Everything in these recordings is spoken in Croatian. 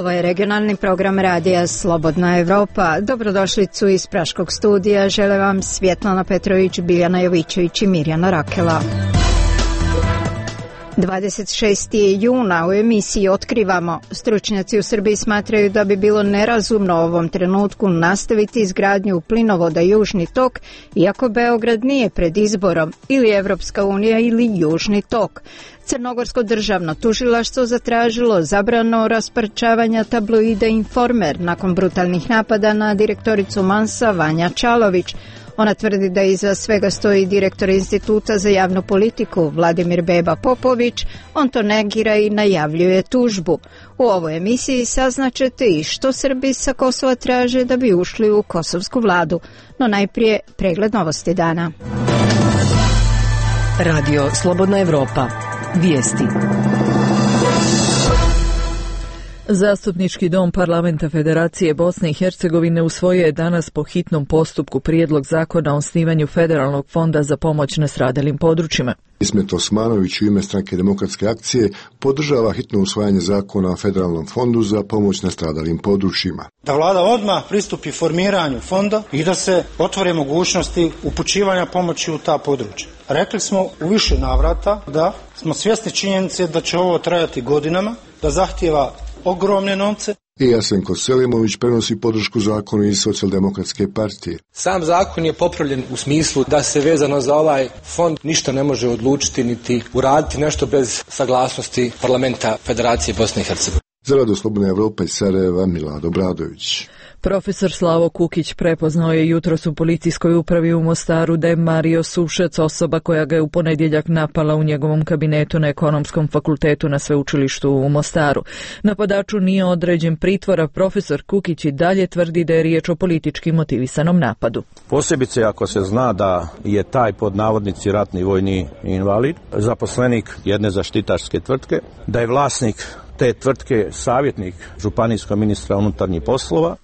Ovo je regionalni program radija Slobodna Evropa. Dobrodošlicu iz Praškog studija žele vam Svjetlana Petrović, Biljana Jovićević i Mirjana Rakela. 26. juna u emisiji Otkrivamo. Stručnjaci u Srbiji smatraju da bi bilo nerazumno u ovom trenutku nastaviti izgradnju plinovoda Južni tok, iako Beograd nije pred izborom, ili Evropska unija ili Južni tok. Crnogorsko državno tužilaštvo zatražilo zabranu rasparčavanja tabloida Informer nakon brutalnih napada na direktoricu Mansa Vanja Čalović. Ona tvrdi da iza svega stoji direktor Instituta za javnu politiku Vladimir Beba Popović. On to negira i najavljuje tužbu. U ovoj emisiji saznaćete i što Srbi sa Kosova traže da bi ušli u kosovsku vladu. No najprije pregled novosti dana. Radio Slobodna Evropa. Vijesti. Zastupnički dom Parlamenta Federacije Bosne i Hercegovine usvojio je danas po hitnom postupku prijedlog zakona o osnivanju Federalnog fonda za pomoć nastradalim područjima. Ismet Osmanović u ime Stranke demokratske akcije podržava hitno usvajanje zakona o Federalnom fondu za pomoć nastradalim područjima. Da vlada odmah pristupi formiranju fonda i da se otvore mogućnosti upućivanja pomoći u ta područja. Rekli smo u više navrata da smo svjesni činjenice da će ovo trajati godinama, da zahtijeva ogromne novce. I Jasenko Selimović prenosi podršku zakonu iz Socijaldemokratske partije. Sam zakon je popravljen u smislu da se vezano za ovaj fond ništa ne može odlučiti niti uraditi nešto bez saglasnosti Parlamenta Federacije Bosne i Hercegovine. Za Radio Slobodna Evropa iz Sarajeva, Milad Obradović. Profesor Slavo Kukić prepoznao je jutros u policijskoj upravi u Mostaru da je Mario Sušec osoba koja ga je u ponedjeljak napala u njegovom kabinetu na Ekonomskom fakultetu na sveučilištu u Mostaru. Napadaču nije određen pritvor, a profesor Kukić i dalje tvrdi da je riječ o politički motivisanom napadu. Posebice ako se zna da je taj pod navodnici ratni vojni invalid, zaposlenik jedne zaštitarske tvrtke, da je vlasnik te tvrtke savjetnik županijskog ministra unutarnjih poslova.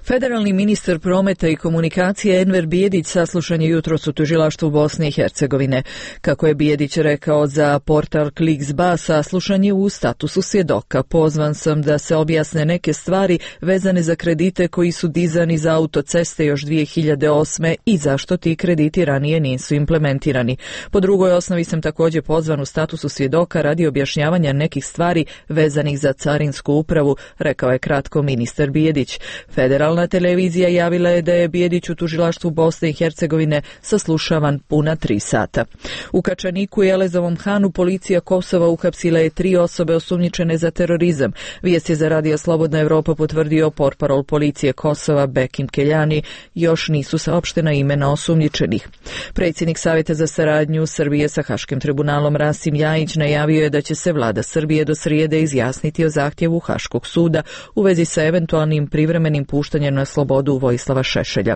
Federalni ministar prometa i komunikacije Enver Bijedić saslušan je jutros u tužilaštvu Bosne i Hercegovine. Kako je Bijedić rekao za portal Kliks.ba, saslušan je u statusu svjedoka. Pozvan sam da se objasne neke stvari vezane za kredite koji su dizani za autoceste još 2008. i zašto ti krediti ranije nisu implementirani. Po drugoj osnovi sam također pozvan u statusu svjedoka radi objašnjavanja nekih stvari vezanih za carinsku upravu, rekao je kratko ministar Bijedić. Federalna televizija javila je da je Bijedić u tužilaštvu Bosne i Hercegovine saslušavan puna 3 sata. U Kačaniku i Elezovom Hanu policija Kosova uhapsila je 3 osobe osumnjičene za terorizam. Vijest je za Radio Slobodna Evropa potvrdio portparol policije Kosova Bekim Keljani. Još nisu saopštena imena osumnjičenih. Predsjednik Savjeta za saradnju Srbije sa Haškim tribunalom Rasim Ljajić najavio je da će se vlada Srbije do srijede izjasniti o zahtjevu Haškog suda u vezi sa eventualnim privremenim puštanjem na slobodu Vojislava Šešelja.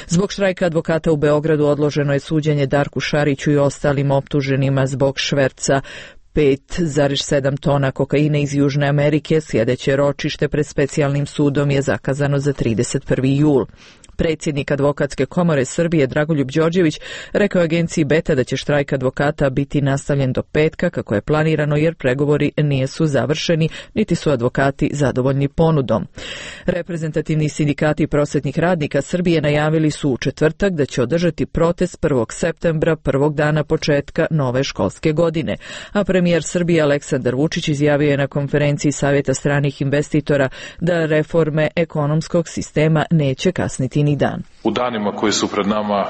Zbog štrajka advokata u Beogradu odloženo je suđenje Darku Šariću i ostalim optuženima zbog šverca 5,7 tona kokaina iz Južne Amerike. Sljedeće ročište pred specijalnim sudom je zakazano za 31. jul. Predsjednik Advokatske komore Srbije Dragoljub Đorđević rekao agenciji Beta da će štrajk advokata biti nastavljen do petka kako je planirano jer pregovori nisu završeni niti su advokati zadovoljni ponudom. Reprezentativni sindikati prosvetnih radnika Srbije najavili su u četvrtak da će održati protest 1. septembra, prvog dana početka nove školske godine. A premijer Srbije Aleksandar Vučić izjavio je na konferenciji Savjeta stranih investitora da reforme ekonomskog sistema neće kasniti ni dan. U danima koji su pred nama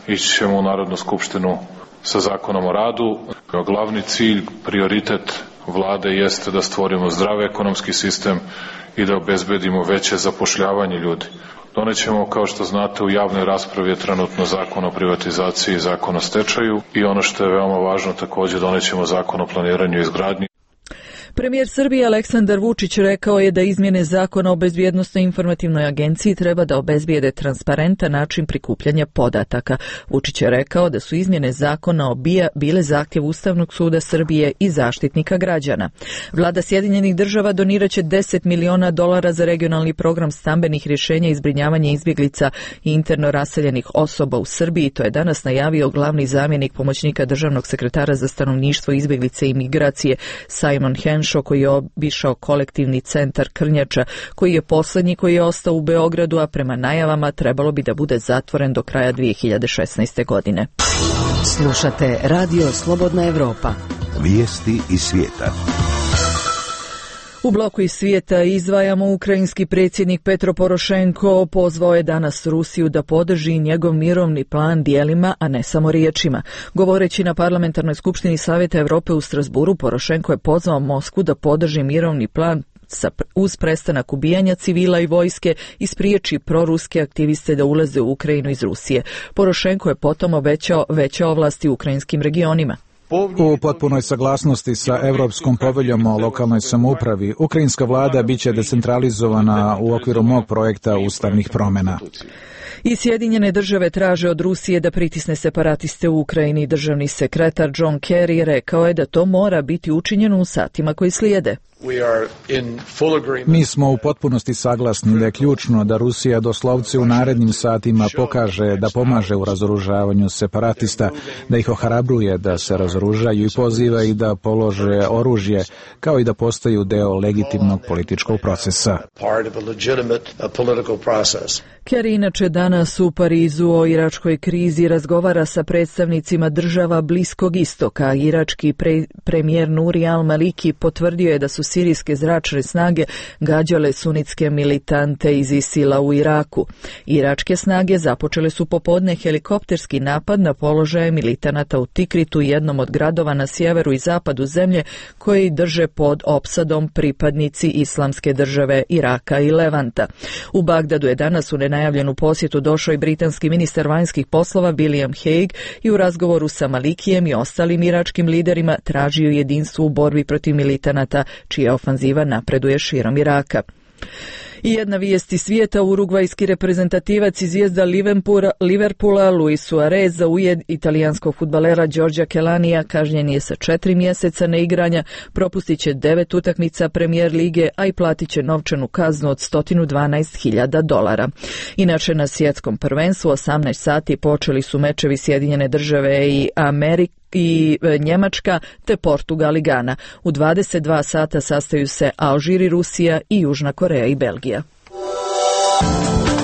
ići ćemo u Narodnu skupštinu sa zakonom o radu. Glavni cilj, prioritet vlade jeste da stvorimo zdrav ekonomski sistem i da obezbedimo veće zapošljavanje ljudi. Donećemo, kao što znate, u javnoj raspravi je trenutno zakon o privatizaciji i zakon o stečaju i ono što je veoma važno također donećemo zakon o planiranju i izgradnji. Premijer Srbije Aleksandar Vučić rekao je da izmjene zakona o bezbjednosnoj informativnoj agenciji treba da obezbijede transparentan način prikupljanja podataka. Vučić je rekao da su izmjene zakona o BIA bile zahtjev Ustavnog suda Srbije i Zaštitnika građana. Vlada Sjedinjenih Država doniraće $10 miliona za regionalni program stambenih rješenja i zbrinjavanja izbjeglica i interno raseljenih osoba u Srbiji. To je danas najavio glavni zamjenik pomoćnika državnog sekretara za stanovništvo, izbjeglice i migracije Simon Hensch Tenšo koji je obišao kolektivni centar Krnjača, koji je posljednji koji je ostao u Beogradu, a prema najavama trebalo bi da bude zatvoren do kraja 2016. godine. Slušate Radio Slobodna Evropa. Vijesti iz svijeta. U bloku iz svijeta izdvajamo ukrajinski predsjednik Petro Porošenko pozvao je danas Rusiju da podrži njegov mirovni plan dijelima, a ne samo riječima. Govoreći na Parlamentarnoj skupštini Savjeta Europe u Strasburu, Porošenko je pozvao Moskvu da podrži mirovni plan uz prestanak ubijanja civila i vojske i spriječi proruske aktiviste da ulaze u Ukrajinu iz Rusije. Porošenko je potom obećao veće ovlasti ukrajinskim regionima. U potpunoj saglasnosti sa Europskom poveljom o lokalnoj samoupravi, ukrajinska vlada biće decentralizovana u okviru mog projekta ustavnih promjena. I Sjedinjene države traže od Rusije da pritisne separatiste u Ukrajini. Državni sekretar John Kerry rekao je da to mora biti učinjeno u satima koji slijede. Mi smo u potpunosti saglasni da je ključno da Rusija doslovce u narednim satima pokaže da pomaže u razoružavanju separatista, da ih ohrabruje da se razoružaju i poziva ih da polože oružje, kao i da postaju deo legitimnog političkog procesa. Kerry inače danas u Parizu o iračkoj krizi razgovara sa predstavnicima država Bliskog istoka. Irački premijer Nuri al-Maliki potvrdio je da su sirijske zračne snage gađale sunitske militante iz ISIL-a u Iraku. Iračke snage započele su popodne helikopterski napad na položaje militanata u Tikritu, jednom od gradova na sjeveru i zapadu zemlje koji drže pod opsadom pripadnici Islamske države Iraka i Levanta. U Bagdadu je danas u nenajavljenu posjetu došao i britanski ministar vanjskih poslova William Hague i u razgovoru sa Malikijem i ostalim iračkim liderima tražio jedinstvo u borbi protiv militanata, čija ofanziva napreduje širom Iraka. I jedna vijest iz svijeta, urugvajski reprezentativac iz zvijezda Liverpoola Luis Suarez za ujed italijanskog fudbalera Giorgia Kellanija kažnjen je sa 4 mjeseca neigranja, propustit će 9 utakmica Premier lige, a i platit će novčanu kaznu od $112.000. Inače, na svjetskom prvenstvu 18 sati počeli su mečevi Sjedinjene države i Njemačka te Portugal i Gana. U 22 sata sastaju se Alžir i Rusija i Južna Koreja i Belgija.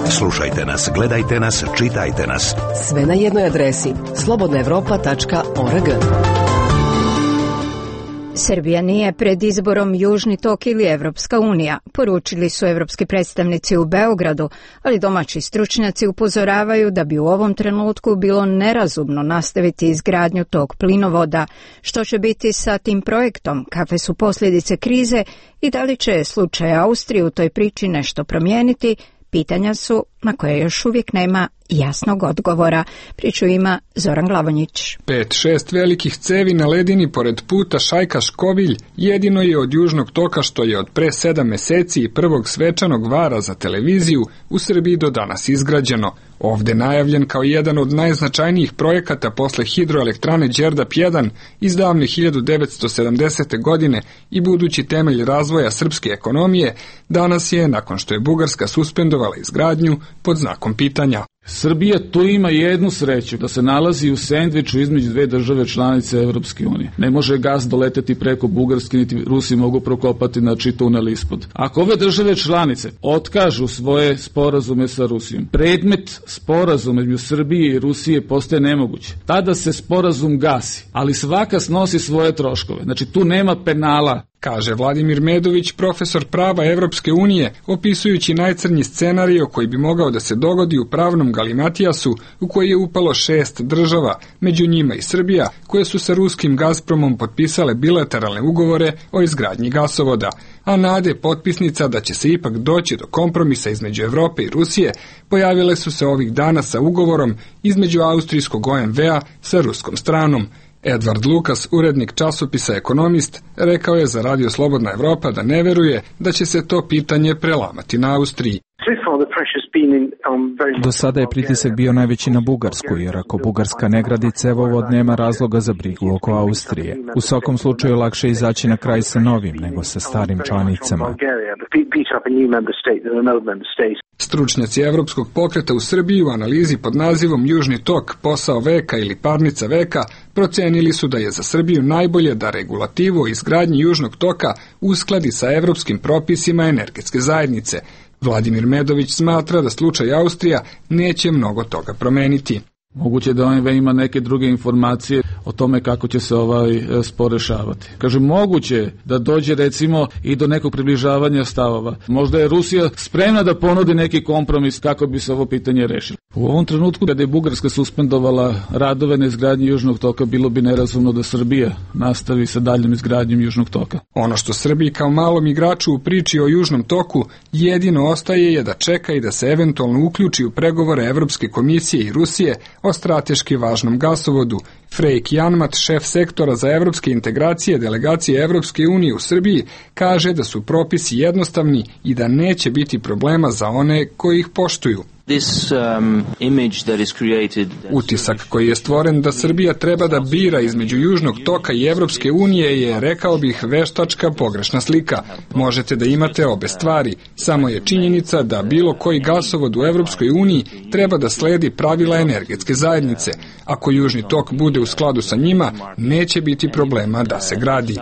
Slušajte nas, gledajte nas, čitajte nas. Sve na jednoj adresi slobodnaevropa.org. Srbija nije pred izborom Južni tok ili Evropska unija, poručili su evropski predstavnici u Beogradu, ali domaći stručnjaci upozoravaju da bi u ovom trenutku bilo nerazumno nastaviti izgradnju tog plinovoda. Što će biti sa tim projektom, kakve su posljedice krize i da li će slučaj Austrije u toj priči nešto promijeniti, pitanja su na koje još uvijek nema jasnog odgovora. Priču ima Zoran Glavonjić. 5-6 velikih cevi na ledini pored puta Šajka-Škovilj jedino je od Južnog toka što je od pre 7 mjeseci i prvog svečanog vara za televiziju u Srbiji do danas izgrađeno. Ovde najavljen kao jedan od najznačajnijih projekata posle hidroelektrane Đerdap 1 iz davne 1970. godine i budući temelj razvoja srpske ekonomije, danas je, nakon što je Bugarska suspendovala izgradnju, pod znakom pitanja. Srbija tu ima jednu sreću, da se nalazi u sendviču između dve države članice Evropske unije. Ne može gas doleteti preko Bugarske, niti Rusi mogu prokopati tunel ispod. Ako ove države članice otkažu svoje sporazume sa Rusijom, predmet sporazuma između Srbije i Rusije postaje nemoguće. Tada se sporazum gasi, ali svaka snosi svoje troškove. Znači tu nema penala. Kaže Vladimir Medović, profesor prava Evropske unije, opisujući najcrnji scenario koji bi mogao da se dogodi u pravnom galimatijasu u koji je upalo 6 država, među njima i Srbija, koje su sa ruskim Gazpromom potpisale bilateralne ugovore o izgradnji gasovoda, a nade potpisnica da će se ipak doći do kompromisa između Evrope i Rusije pojavile su se ovih dana sa ugovorom između austrijskog OMV-a sa ruskom stranom. Edvard Lukas, urednik časopisa Ekonomist, rekao je za Radio Slobodna Evropa da ne veruje da će se to pitanje prelamati na Austriji. Do sada je pritisak bio najveći na Bugarsku, jer ako Bugarska ne gradi cevovod, nema razloga za brigu oko Austrije. U svakom slučaju lakše izaći na kraj sa novim nego sa starim članicama. Stručnjaci Evropskog pokreta u Srbiji u analizi pod nazivom Južni tok, posao veka ili parnica veka procenili su da je za Srbiju najbolje da regulativu o izgradnji Južnog toka uskladi sa evropskim propisima energetske zajednice. Vladimir Medović smatra da slučaj Austrija neće mnogo toga promeniti. Moguće da on ima neke druge informacije o tome kako će se ovaj spor rešavati. Kaže, moguće da dođe recimo i do nekog približavanja stavova. Možda je Rusija spremna da ponudi neki kompromis kako bi se ovo pitanje rešilo. U ovom trenutku, kada je Bugarska suspendovala radove na izgradnji Južnog toka, bilo bi nerazumno da Srbija nastavi sa daljom izgradnjom Južnog toka. Ono što Srbiji kao malom igraču u priči o Južnom toku jedino ostaje je da čeka i da se eventualno uključi u pregovore Evropske komisije i Rusije o strateški važnom gasovodu. Frejk Janmat, šef sektora za evropske integracije delegacije Evropske unije u Srbiji, kaže da su propisi jednostavni i da neće biti problema za one koji ih poštuju. Utisak koji je stvoren da Srbija treba da bira između Južnog toka i Evropske unije je, rekao bih, veštačka pogrešna slika. Možete da imate obe stvari, samo je činjenica da bilo koji gasovod u Evropskoj uniji treba da sledi pravila energetske zajednice. Ako Južni tok bude u skladu sa njima, neće biti problema da se gradi.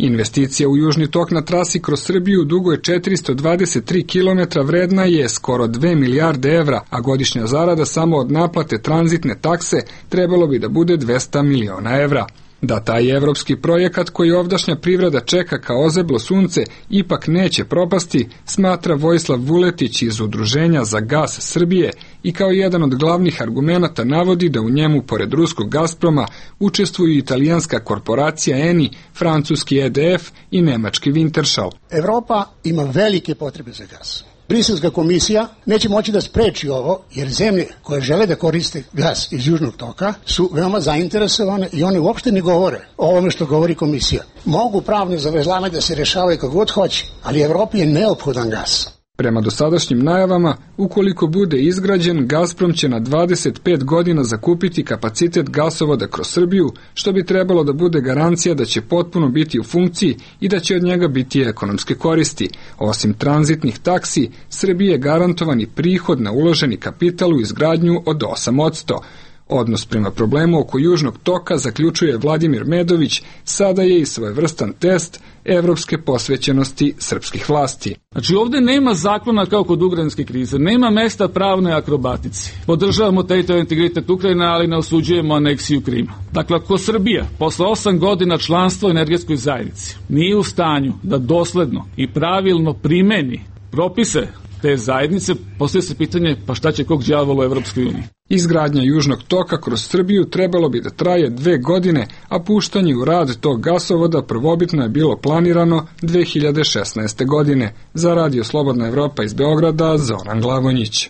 Investicija u Južni tok na trasi kroz Srbiju dugo je 423 km, vredna je skoro 2 milijarde evra, a godišnja zarada samo od naplate tranzitne takse trebalo bi da bude 200 miliona evra. Da taj evropski projekat koji ovdašnja privreda čeka kao ozeblo sunce ipak neće propasti, smatra Vojislav Vuletić iz Udruženja za gas Srbije i kao jedan od glavnih argumenata navodi da u njemu, pored ruskog Gazproma, učestvuju italijanska korporacija Eni, francuski EDF i nemački Wintershall. Evropa ima velike potrebe za gas. Briselska komisija neće moći da spreči ovo, jer zemlje koje žele da koriste gas iz Južnog toka su veoma zainteresovane i one uopšte ne govore o ovome što govori komisija. Mogu pravne zavrzlame da se rešavaju kako god hoće, ali Evropi je neophodan gas. Prema dosadašnjim najavama, ukoliko bude izgrađen, Gazprom će na 25 godina zakupiti kapacitet gasovoda kroz Srbiju, što bi trebalo da bude garancija da će potpuno biti u funkciji i da će od njega biti ekonomske koristi. Osim tranzitnih taksi, Srbiji je garantovani prihod na uloženi kapital u izgradnju od 8%. Odnos prema problemu oko Južnog toka, zaključuje Vladimir Medović, sada je i svojevrstan test evropske posvećenosti srpskih vlasti. Znači, ovdje nema zakona kao kod ukrajinske krize, nema mesta pravnoj akrobatici. Podržavamo teritorijalni integritet Ukrajine, ali ne osuđujemo aneksiju Krima. Dakle, ako Srbija posle 8 godina članstva u energetskoj zajednici nije u stanju da dosledno i pravilno primeni propise te zajednice, postavlja se pitanje, pa šta će kog đavola u Evropskoj uniji? Izgradnja Južnog toka kroz Srbiju trebalo bi da traje 2 godine, a puštanje u rad tog gasovoda prvobitno je bilo planirano 2016. godine. Za Radio Slobodna Evropa iz Beograda, Zoran Glavonjić.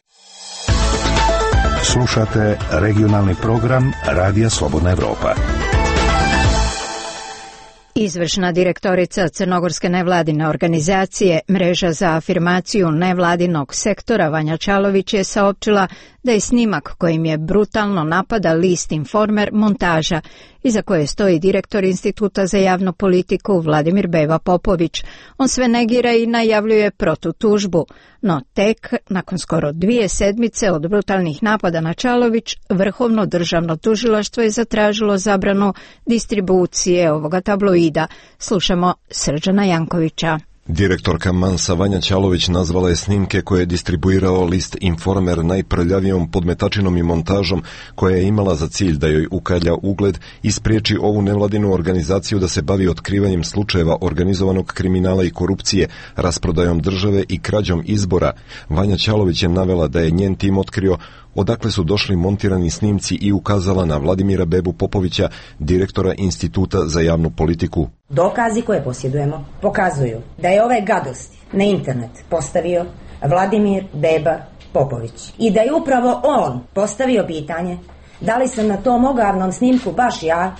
Slušate regionalni program Radija Slobodna Evropa. Izvršna direktorica Crnogorske nevladine organizacije Mreža za afirmaciju nevladinog sektora Vanja Čalović je saopćila da je snimak kojim je brutalno napada list Informer montaža, iza koje stoji direktor Instituta za javnu politiku Vladimir Beva Popović. On sve negira i najavljuje protutužbu, no tek nakon skoro 2 sedmice od brutalnih napada na Čalović, Vrhovno državno tužilaštvo je zatražilo zabranu distribucije ovoga tabloida. Slušamo Srđana Jankovića. Direktorka Mansa Vanja Čalović nazvala je snimke koje je distribuirao list Informer najprljavijom podmetačinom i montažom koja je imala za cilj da joj ukalja ugled i spriječi ovu nevladinu organizaciju da se bavi otkrivanjem slučajeva organizovanog kriminala i korupcije, rasprodajom države i krađom izbora. Vanja Čalović je navela da je njen tim otkrio odakle su došli montirani snimci i ukazala na Vladimira Bebu Popovića, direktora Instituta za javnu politiku. Dokazi koje posjedujemo pokazuju da je ove gadosti na internet postavio Vladimir Beba Popović i da je upravo on postavio pitanje da li sam na tom ogavnom snimku baš ja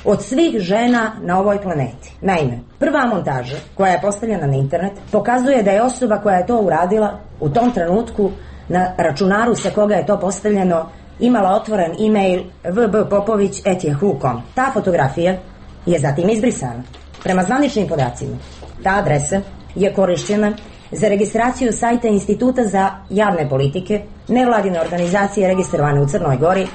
od svih žena na ovoj planeti. Naime, prva montaža koja je postavljena na internet pokazuje da je osoba koja je to uradila u tom trenutku na računaru sa koga je to postavljeno imala otvoren e-mail vbpopović@yahoo.com. Ta fotografija je zatim izbrisana. Prema zvaničnim podacima, ta adresa je korišćena za registraciju sajta Instituta za javne politike, nevladine organizacije registrovane u Crnoj Gori,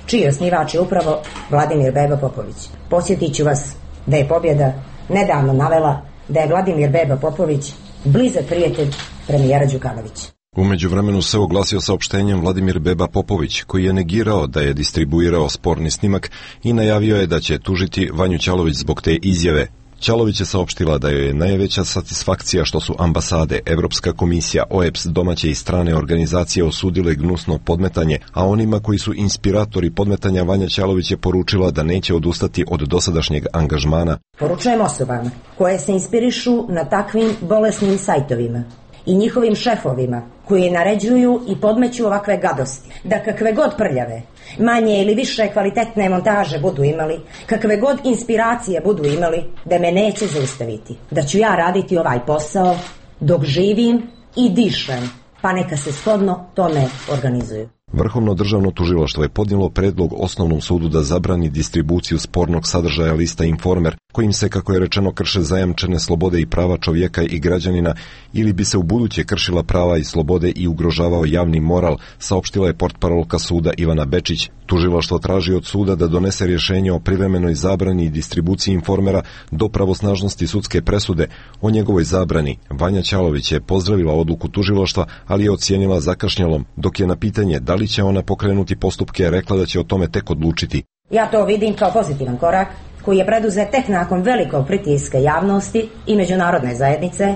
čiji osnivač je upravo Vladimir Beba Popović. Podsjetit ću vas da je Pobjeda nedavno navela da je Vladimir Beba Popović blizak prijatelj premijera Đukanovića. U međuvremenu se oglasio saopštenjem Vladimir Beba Popović, koji je negirao da je distribuirao sporni snimak i najavio je da će tužiti Vanju Ćalović zbog te izjave. Ćalović je saopštila da joj je najveća satisfakcija što su ambasade, Evropska komisija, OEBS, domaće i strane organizacije osudile gnusno podmetanje, a onima koji su inspiratori podmetanja Vanja Ćalović je poručila da neće odustati od dosadašnjeg angažmana. Poručujem osobama koje se inspirišu na takvim bolesnim sajtovima i njihovim šefovima koji naređuju i podmeću ovakve gadosti, da kakve god prljave, manje ili više kvalitetne montaže budu imali, kakve god inspiracije budu imali, da me neće zaustaviti, da ću ja raditi ovaj posao dok živim i dišem, pa neka se shodno tome organizuju. Vrhovno državno tužilaštvo je podnijelo predlog Osnovnom sudu da zabrani distribuciju spornog sadržaja lista Informer, kojim se, kako je rečeno, krše zajamčene slobode i prava čovjeka i građanina, ili bi se u buduće kršila prava i slobode i ugrožavao javni moral, saopštila je portparolka suda Ivana Bečić. Tužilaštvo traži od suda da donese rješenje o privremenoj zabrani i distribuciji Informera do pravosnažnosti sudske presude. O njegovoj zabrani Vanja Ćalović je pozdravila odluku tužilaštva, ali je ocijenila zakašnjelom, dok je na pitanje da li će ona pokrenuti postupke rekla da će o tome tek odlučiti. Ja to vidim kao pozitivan korak koji je preduzet tek nakon velikog pritiska javnosti i međunarodne zajednice,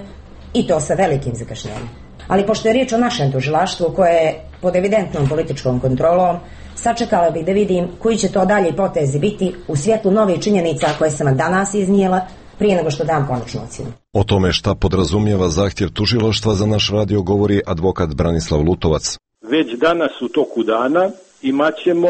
i to sa velikim zakašnjenjem. Ali pošto je riječ o našem tužilaštvu koje je pod evidentnom političkom kontrolom, sačekala bih da vidim koji će to dalje potezi biti u svjetlu novih činjenica koje sam vam danas iznijela prije nego što dam konačnu ocjenu. O tome šta podrazumijeva zahtjev tužilaštva za naš radio govori advokat Branislav Lutovac. Već danas u toku dana imaćemo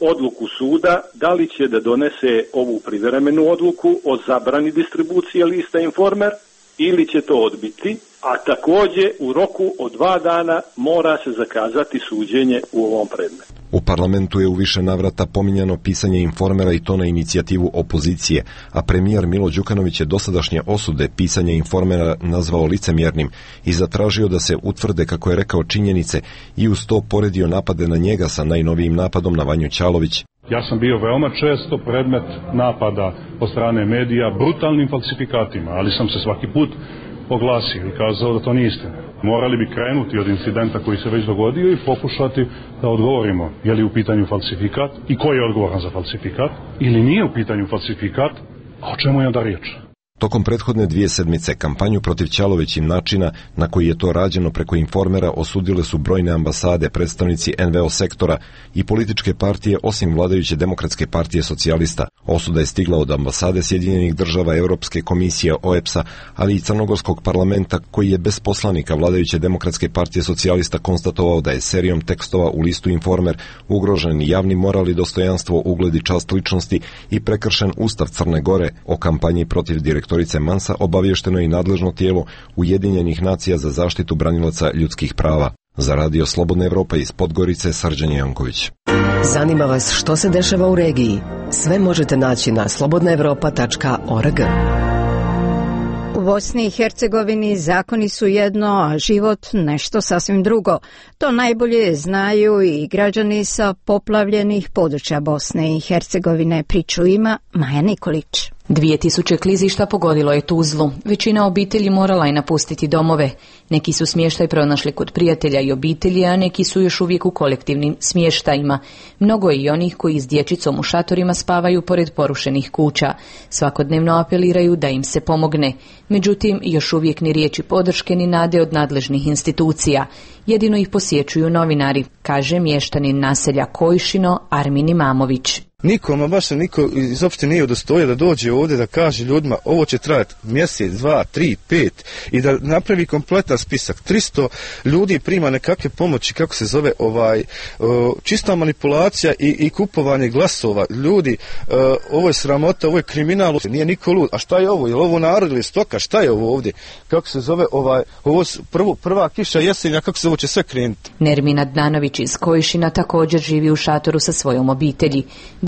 odluku suda da li će da donese ovu privremenu odluku o zabrani distribucije lista Informer ili će to odbiti, a također u roku od 2 dana mora se zakazati suđenje u ovom predmetu. U parlamentu je u više navrata pominjano pisanje Informera i to na inicijativu opozicije, a premijer Milo Đukanović je dosadašnje osude pisanja Informera nazvao licemjernim i zatražio da se utvrde, kako je rekao, činjenice i uz to poredio napade na njega sa najnovijim napadom na Vanju Ćalović. Ja sam bio veoma često predmet napada od strane medija brutalnim falsifikatima, ali sam se svaki put oglasio i kazao da to nije istina. Morali bi krenuti od incidenta koji se već dogodio i pokušati da odgovorimo je li u pitanju falsifikat i ko je odgovoran za falsifikat, ili nije u pitanju falsifikat, a o čemu je onda riječ. Tokom prethodne 2 sedmice kampanju protiv Ćalović i načina na koji je to rađeno preko Informera osudile su brojne ambasade, predstavnici NVO sektora i političke partije osim vladajuće Demokratske partije socijalista. Osuda je stigla od ambasade Sjedinjenih država, Europske komisije, OEBS-a, ali i Crnogorskog parlamenta koji je bez poslanika vladajuće Demokratske partije socijalista konstatovao da je serijom tekstova u listu Informer ugrožen javni moral i dostojanstvo, ugled i čast ličnosti i prekršen Ustav Crne Gore. O kampanji protiv direktorice Mansa obavješteno je i nadležno tijelo Ujedinjenih nacija za zaštitu branilaca ljudskih prava. Za Radio Slobodna Evropa iz Podgorice, Srđan Janković. Zanima vas što se dešava u regiji? Sve možete naći na slobodnaevropa.org. U Bosni i Hercegovini zakoni su jedno, a život nešto sasvim drugo. To najbolje znaju i građani sa poplavljenih područja Bosne i Hercegovine. Priču ima Maja Nikolić. 2000 klizišta pogodilo je Tuzlu. Većina obitelji morala je napustiti domove. Neki su smještaj pronašli kod prijatelja i obitelji, a neki su još uvijek u kolektivnim smještajima. Mnogo je i onih koji s dječicom u šatorima spavaju pored porušenih kuća. Svakodnevno apeliraju da im se pomogne. Međutim, još uvijek ni riječi podrške ni nade od nadležnih institucija. Jedino ih posjećuju novinari, kaže mještanin naselja Kojšino Armin Imamović. Nikoma, baš se niko iz opštine nije udostojio da dođe ovdje da kaže ljudima ovo će trajati mjesec, 2, 3, 5 i da napravi kompletan spisak. 300 ljudi prima nekakve pomoći, kako se zove, čista manipulacija i kupovanje glasova. Ljudi, ovo je sramota, ovo je kriminal, nije niko lud. A šta je ovo? Je li ovo narod ili stoka? Šta je ovo ovdje? Kako se zove, ovo prva kiša jesenja, kako se ovo će sve krenuti? Nermin Adnanović iz Kojšina također živi u šatoru sa svojom obitelji.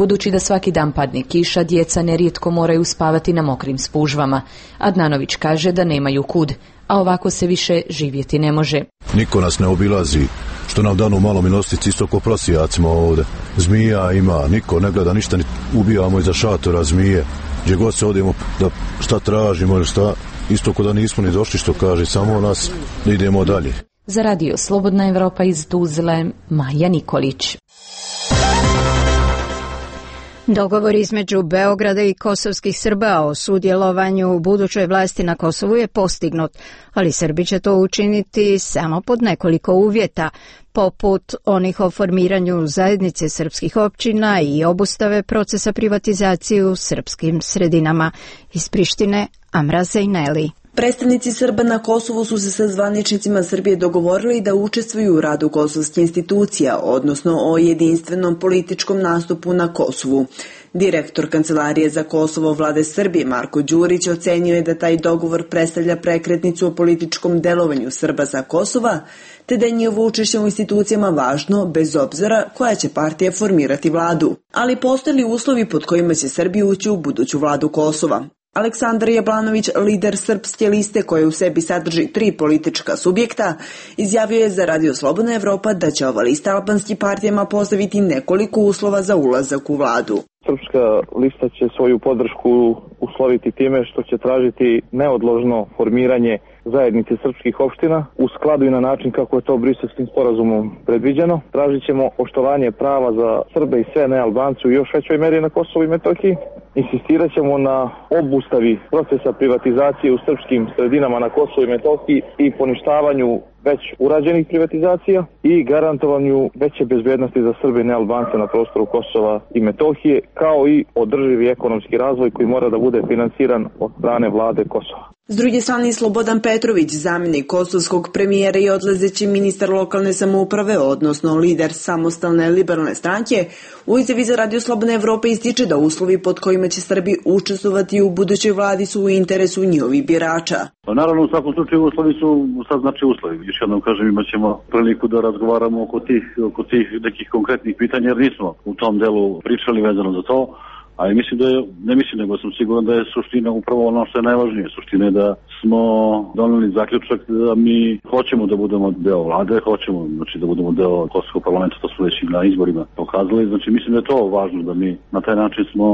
Budući da svaki dan padne kiša, djeca nerijetko moraju spavati na mokrim spužvama. Adnanović kaže da nemaju kud, a ovako se više živjeti ne može. Niko nas ne obilazi, što nam danu malo milostici, isto ko prosijacima ovdje. Zmija ima, niko ne gleda ništa, ubijamo iza šatora zmije. Gdje god se odemo da šta tražimo ili šta, isto ko da nismo ni došli, što kaže, samo nas da idemo dalje. Za radio Slobodna Evropa iz Tuzle, Maja Nikolić. Dogovor između Beograda i kosovskih Srba o sudjelovanju u budućoj vlasti na Kosovu je postignut, ali Srbi će to učiniti samo pod nekoliko uvjeta, poput onih o formiranju zajednice srpskih općina i obustave procesa privatizacije u srpskim sredinama. Iz Prištine, Amra Zejneli. Predstavnici Srba na Kosovu su se sa zvaničnicima Srbije dogovorili da učestvuju u radu kosovskih institucija, odnosno o jedinstvenom političkom nastupu na Kosovu. Direktor Kancelarije za Kosovo Vlade Srbije Marko Đurić ocenio je da taj dogovor predstavlja prekretnicu o političkom delovanju Srba za Kosova, te da je njihovo učešće u institucijama važno bez obzira koja će partija formirati vladu. Ali postoje li uslovi pod kojima će Srbi ući u buduću vladu Kosova? Aleksandar Jablanović, lider Srpske liste koja u sebi sadrži 3 politička subjekta, izjavio je za Radio Slobodna Evropa da će ova lista albanskim partijama postaviti nekoliko uslova za ulazak u vladu. Srpska lista će svoju podršku usloviti time što će tražiti neodložno formiranje zajednice srpskih opština u skladu i na način kako je to Briselskim sporazumom predviđeno. Tražit ćemo poštovanje prava za Srbe i sve nealbance u još većoj meri na Kosovu i Metohiji. Insistirat ćemo na obustavi procesa privatizacije u srpskim sredinama na Kosovu i Metohiji i poništavanju već urađenih privatizacija i garantovanju veće bezbednosti za Srbe i nealbance na prostoru Kosova i Metohije, kao i održivi ekonomski razvoj koji mora da bude finansiran od strane vlade Kosova. S druge strane, Slobodan Petrović, zamjenik kosovskog premijera i odlazeći ministar lokalne samouprave, odnosno lider samostalne liberalne stranke, u izjavi za Radio Slobodna Evropa ističe da uslovi pod kojima će Srbi učestvovati u budućoj vladi su u interesu njihovih birača. Naravno, u svakom slučaju uslovi su sad uslovi. Još jednom kažem, imat ćemo priliku da razgovaramo oko tih nekih konkretnih pitanja, jer nismo u tom delu pričali vezano za to. A mislim da ne mislim, nego sam siguran da je suština upravo ono što je najvažnije. Suština je da smo doneli zaključak da mi hoćemo da budemo deo vlade, hoćemo da budemo deo Kosovskog parlamenta, to smo već i na izborima pokazali. Znači mislim da je to važno, da mi na taj način smo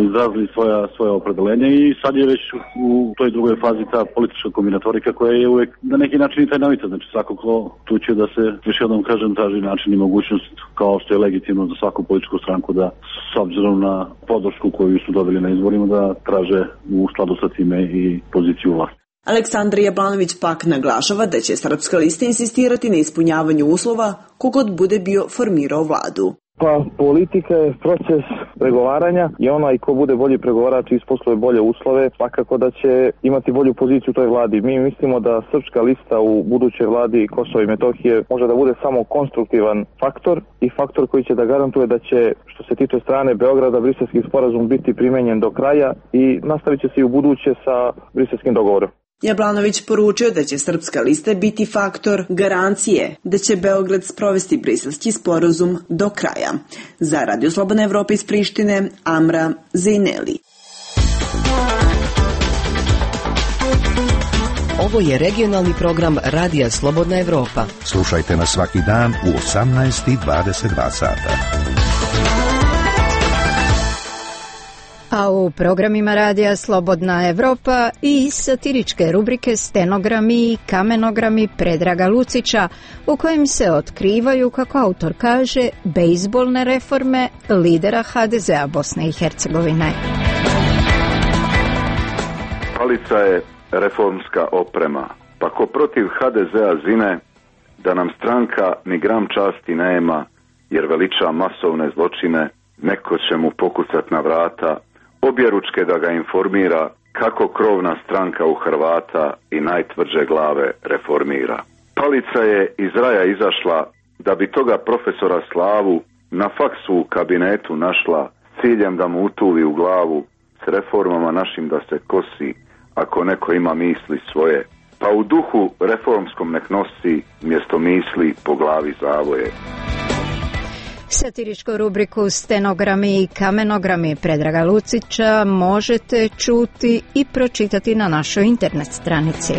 izrazili svoje opredelenje i sad je već u toj drugoj fazi ta politička kombinatorika koja je uvek na neki način i tajnovita. Znači svakako tu će da se, još jednom kažem, traži način i mogućnost, kao što je legitimno za svaku političku stranku, da s obzirom na podršku koju su dobili na izborima da traže u skladu sa time i poziciju vlasti. Aleksandar Jablanović pak naglašava da će Srpska lista insistirati na ispunjavanju uslova kogod bude bio formirao vladu. Pa politika je proces pregovaranja i onaj ko bude bolji pregovarač isposluje bolje uslove, svakako da će imati bolju poziciju u toj vladi. Mi mislimo da Srpska lista u budućoj vladi Kosova i Metohije može da bude samo konstruktivan faktor i faktor koji će da garantuje da će, što se tiče strane Beograda, Briselski sporazum biti primenjen do kraja i nastavit će se i u buduće sa Briselskim dogovorom. Jablanović poručio da će Srpska lista biti faktor garancije da će Beograd sprovesti Briselski sporazum do kraja. Za Radio Slobodna Evropa iz Prištine, Amra Zejneli. Ovo je regionalni program Radija Slobodna Evropa. Slušajte nas svaki dan u 18:22 sata. A u programima Radija Slobodna Evropa i satiričke rubrike Stenogrami i kamenogrami Predraga Lucića, u kojim se otkrivaju, kako autor kaže, bejzbolne reforme lidera HDZ-a Bosne i Hercegovine. Palica je reformska oprema, pa ko protiv HDZ-a zine, da nam stranka ni gram časti nema, jer veliča masovne zločine, neko će mu pokucat na vrata, objeručke da ga informira kako krovna stranka u Hrvata i najtvrđe glave reformira. Palica je iz raja izašla da bi toga profesora Slavu na faksu u kabinetu našla, ciljem da mu utuvi u glavu s reformama našim da se kosi, ako neko ima misli svoje, pa u duhu reformskom nek nosi mjesto misli po glavi zavoje. Satiričku rubriku Stenogrami i kamenogrami Predraga Lucića možete čuti i pročitati na našoj internet stranici.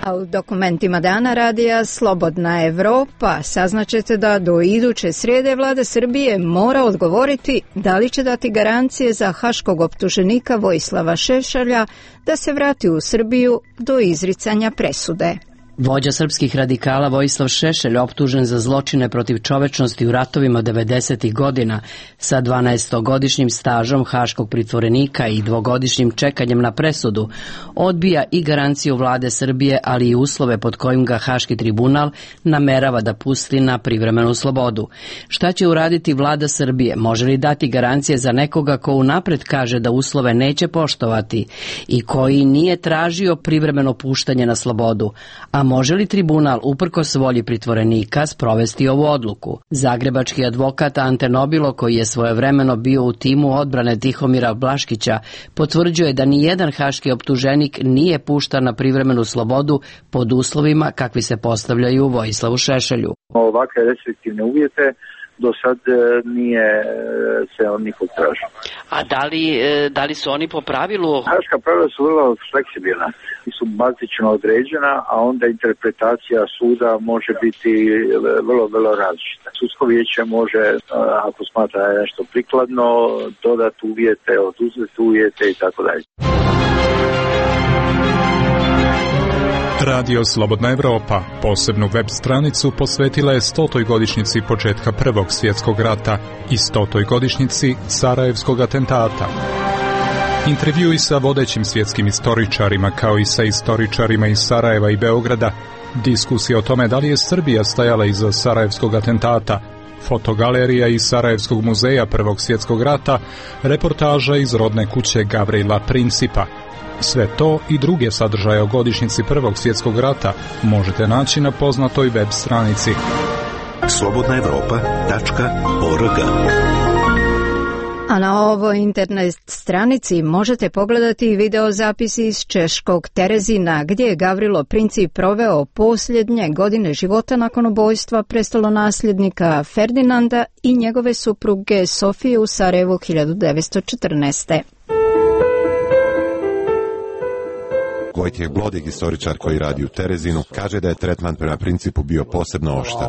A u dokumentima dana radija Slobodna Evropa saznaćete da do iduće srijede vlada Srbije mora odgovoriti da li će dati garancije za haškog optuženika Vojislava Šešelja da se vrati u Srbiju do izricanja presude. Vođa srpskih radikala Vojislav Šešelj, optužen za zločine protiv čovečnosti u ratovima 90. godina sa 12-godišnjim stažom haškog pritvorenika i 2-godišnjim čekanjem na presudu, odbija i garanciju vlade Srbije, ali i uslove pod kojim ga Haški tribunal namerava da pusti na privremenu slobodu. Šta će uraditi vlada Srbije? Može li dati garancije za nekoga ko unapred kaže da uslove neće poštovati i koji nije tražio privremeno puštanje na slobodu? A može li tribunal uprkos volji pritvorenika sprovesti ovu odluku? Zagrebački advokat Ante Nobilo, koji je svojevremeno bio u timu odbrane Tihomira Blaškića, potvrđuje da ni jedan haški optuženik nije puštan na privremenu slobodu pod uslovima kakvi se postavljaju Vojislavu Šešelju. Ovakve restriktivne uvjete do sad nije se on nikog tražio. A da li su oni po pravilu? Haška pravila su vrlo fleksibilna, su bazično određena, a onda interpretacija suda može biti vrlo različita. Sudsko vijeće može, ako smatra nešto prikladno, dodati uvjete, oduzeti uvjete i tako dalje. Radio Slobodna Evropa posebnu web stranicu posvetila je 100. godišnjici početka Prvog svjetskog rata i 100. godišnjici Sarajevskog atentata. Intervjui sa vodećim svjetskim istoričarima kao i sa istoričarima iz Sarajeva i Beograda, diskusija o tome da li je Srbija stajala iza Sarajevskog atentata, fotogalerija iz Sarajevskog muzeja Prvog svjetskog rata, reportaža iz rodne kuće Gavrila Principa. Sve to i druge sadržaje o godišnjici Prvog svjetskog rata možete naći na poznatoj web stranici slobodnaevropa.org. A na ovoj internet stranici možete pogledati i video zapisi iz češkog Terezina, gdje je Gavrilo Princip proveo posljednje godine života nakon ubojstva prestolonasljednika Ferdinanda i njegove supruge Sofije u Sarajevu 1914. Vojtjeh Blodig, istoričar koji radi u Terezinu, kaže da je tretman prema Principu bio posebno oštar.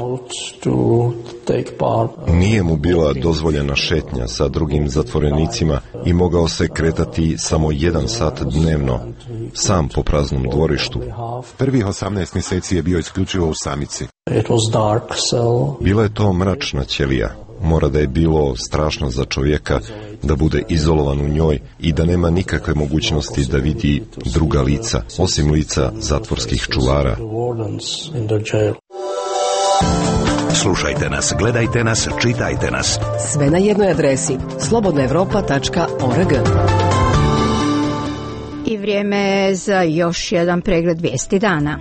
Nije mu bila dozvoljena šetnja sa drugim zatvorenicima i mogao se kretati samo 1 sat dnevno, sam po praznom dvorištu. Prvih 18 mjeseci je bio isključivo u samici. Bila je to mračna ćelija. Mora da je bilo strašno za čovjeka da bude izolovan u njoj i da nema nikakve mogućnosti da vidi druga lica, osim lica zatvorskih čuvara. Slušajte nas, gledajte nas, čitajte nas. Sve na jednoj adresi slobodnaevropa.org. I vrijeme je za još jedan pregled vijesti dana.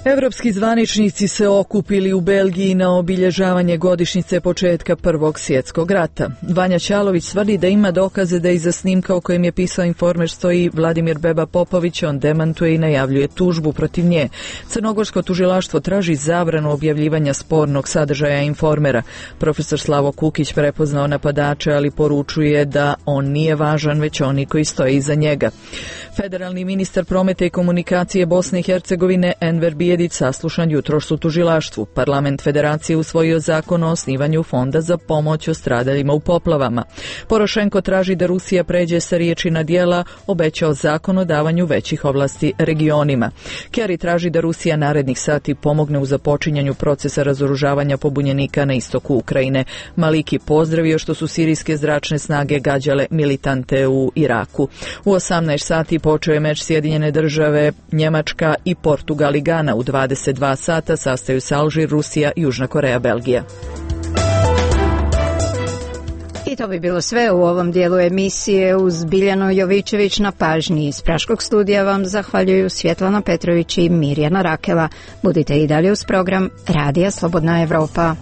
Evropski zvaničnici se okupili u Belgiji na obilježavanje godišnjice početka Prvog svjetskog rata. Vanja Ćalović tvrdi da ima dokaze da iza snimka o kojem je pisao Informer stoji Vladimir Beba Popović, on demantuje i najavljuje tužbu protiv nje. Crnogorsko tužilaštvo traži zabranu objavljivanja spornog sadržaja Informera. Profesor Slavo Kukić prepoznao napadače, ali poručuje da on nije važan, već oni koji stoje iza njega. Federalni ministar prometa i komunikacije Bosne i Hercegovine Enver Bijedić saslušan jutros u tužilaštvu. Parlament Federacije usvojio zakon o osnivanju fonda za pomoć o stradaljima u poplavama. Porošenko traži da Rusija pređe sa riječi na djela, obećao zakon o davanju većih ovlasti regionima. Kerry traži da Rusija narednih sati pomogne u započinjanju procesa razoružavanja pobunjenika na istoku Ukrajine. Maliki pozdravio što su sirijske zračne snage gađale militante u Iraku. U 18 sati počeo je meč Sjedinjene države, Njemačka i Portugal i Gana. U 22 sata sastaju se Alžir, Rusija, Južna Koreja, Belgija. I to bi bilo sve u ovom dijelu emisije. Uz Biljanu Jovičević na pažnji. Iz Praškog studija vam zahvaljuju Svjetlana Petrović i Mirjana Rakela. Budite i dalje uz program Radija Slobodna Evropa.